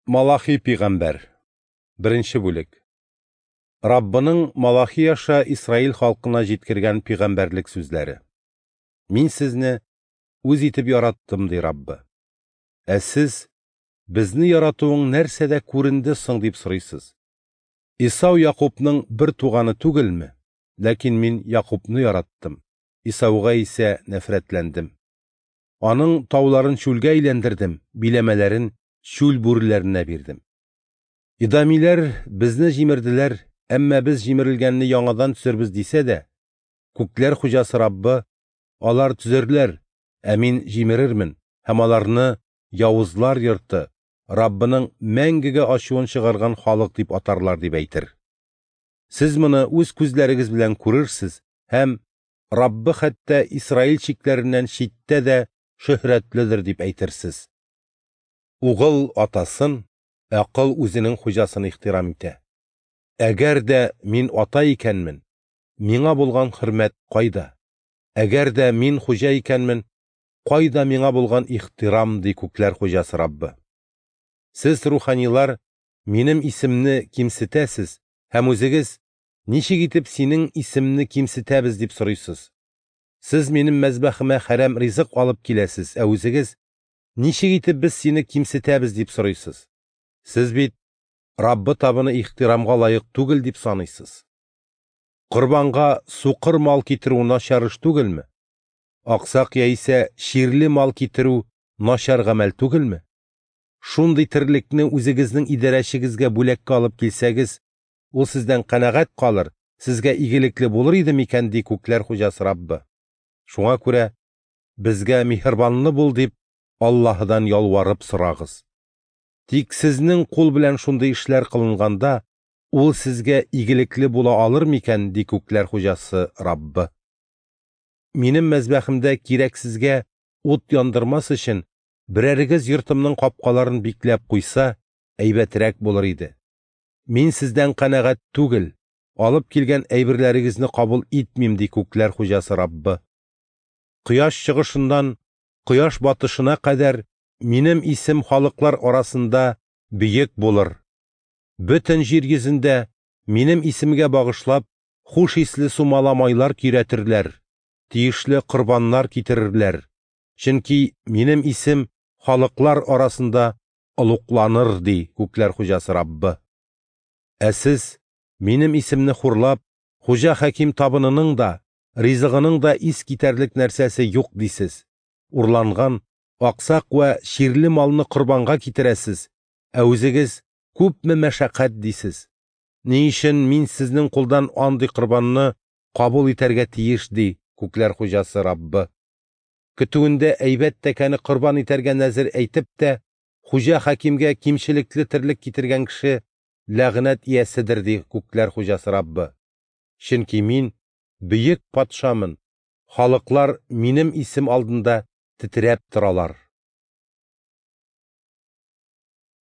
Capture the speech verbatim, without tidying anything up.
Малахи пигамбәр. Беренче бүлек. Раббының Малахи аша Исраил халкына җиткергән пигамбәрлек сүзләре. Мин сезне үз итеп яраттым, ди Раббы. Ә сез безне яратуың нәрсәдә күренде соң дип сорыйсыз. Исау Якупның бер туганы түгелме? Ләкин мин Якупны яраттым, Исауга исә нәфрәтләндем. Аның тауларын чүлгә әйләндердем, биләмәләрен чүл бүреләренә бирдем. Идамиләр безне җимерделәр, әмма без җимерелгәнне яңадан төзербез дисә дә, күкләр хуҗасы Раббы, алар төзерләр, ә мин җимерермен, һәм аларны явызлар йорты, Раббының мәңгегә ачуын чыгарган халык дип атарлар дип әйтер. Сез моны үз күзләрегез белән күрерсез һәм Раббы хәтта Исраил чикләреннән читтә дә шөһрәтледер дип әйтерсез. Угыл атасын, ә кол үзенең хуҗасын ихтирам итә. Әгәр дә мин ата икәнмен, миңа булган хөрмәт кайда? Әгәр дә мин хуҗа икәнмен, кайда миңа булган ихтирам, ди күкләр хуҗасы Раббы. Сез, руханилар, минем исемне кимсетәсез һәм үзегез ничек итеп синең исемне кимсетәбез дип сорыйсыз. Сез минем мәзбәхемә хәрәм ризык алып киләсез, ә үзегез ничек итеп без сине кимсетәбез дип сорыйсыз. Сез бит Раббы табыны ихтирамга лаек түгел дип саныйсыз. Корбанга сукыр мал китерү начар эш түгелме? Аксак яисә чирле мал китерү начар гамәл түгелме? Шундый терлекне үзегезнең идарәчегезгә бүләккә алып килсәгез, ул сездән канәгать калыр, сезгә игелекле булыр иде микән, ди күкләр хуҗасы Раббы. Шуңа күрә безгә миһербанлы бул дип Аллаһыдан ялварып сорагыз. Тик сезнең кул белән шундый эшләр кылынганда, ул сезгә игелекле була алыр микән, ди күкләр хуҗасы Раббы. Минем мәзбәхемдә кирәксезгә ут яндырмас өчен берәрегез йортымның капкаларын бикләп куйса, әйбәтрәк булыр иде. Мин сездән канәгать түгел, алып килгән әйберләрегезне кабул итмим, ди күкләр хуҗасы Раббы. Кояш чыгышыннан кояш батышына кадәр минем исем халыклар арасында бөек булыр. Бөтен җир йөзендә минем исемгә багышлап хуш исле сумала майлар көйрәтерләр, тиешле корбаннар китерерләр. Чөнки минем исем халыклар арасында олугланыр, ди күкләр хуҗасы Раббы. Ә сез минем исемне хурлап, хуҗа хаким табынының да, ризыгының да ис китәрлек нәрсәсе юк дисез. Урланган, аксак вә чирле малны корбанга китерәсез, ә үзегез күпме мәшәкать дисез. Ни өчен мин сезнең кулдан андый корбанны кабул итәргә тиеш, ди күкләр хуҗасы Раббы. Көтүендә әйбәт тәкәне корбан итәргә нәзер әйтеп тә, хуҗа хакимгә кимчелекле терлек китергән кеше ләгънәт ияседер, ди күкләр хуҗасы Раббы. Чөнки мин бөек патшамын, халыклар минем исем алдында тетрәп торалар.